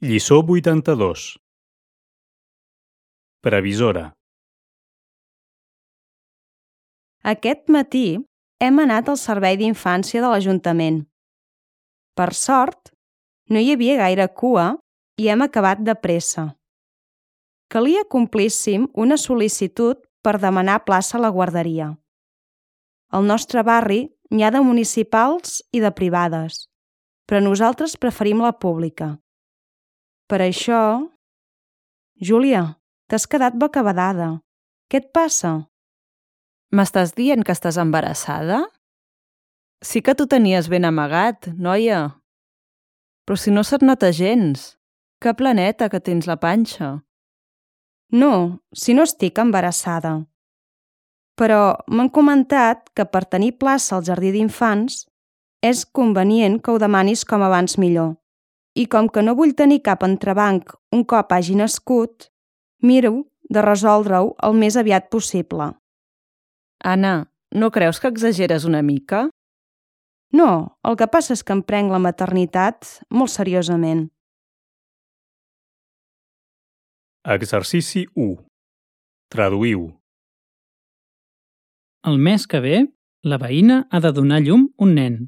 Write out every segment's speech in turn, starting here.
Lliçó 82. Previsora. Aquest matí hem anat al servei d'infància de l'Ajuntament. Per sort, no hi havia gaire cua i hem acabat de pressa. Calia que complíssim una sol·licitud per demanar plaça a la guarderia. Al nostre barri n'hi ha de municipals i de privades, però nosaltres preferim la pública. Per això... Júlia, t'has quedat bocabadada. Què et passa? M'estàs dient que estàs embarassada? Sí que t'ho tenies ben amagat, noia. Però si no se't nota gens. Que planeta que tens la panxa. No, si no estic embarassada. Però m'han comentat que per tenir plaça al jardí d'infants és convenient que ho demanis com abans millor. I com que no vull tenir cap entrebanc un cop hagi nascut, miro de resoldre-ho el més aviat possible. Anna, no creus que exageres una mica? No, el que passa és que em prenc la maternitat molt seriosament. Exercici 1. Traduïu. El mes que ve, la veïna ha de donar a llum un nen.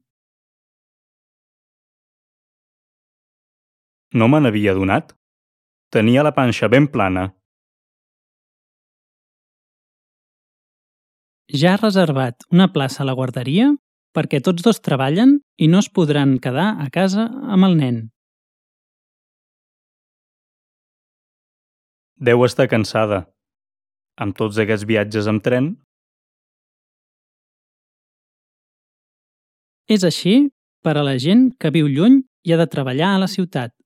No me n'havia adonat? Tenia la panxa ben plana. Ja ha reservat una plaça a la guarderia perquè tots dos treballen i no es podran quedar a casa amb el nen. Deu estar cansada. Amb tots aquests viatges amb tren? És així per a la gent que viu lluny i ha de treballar a la ciutat.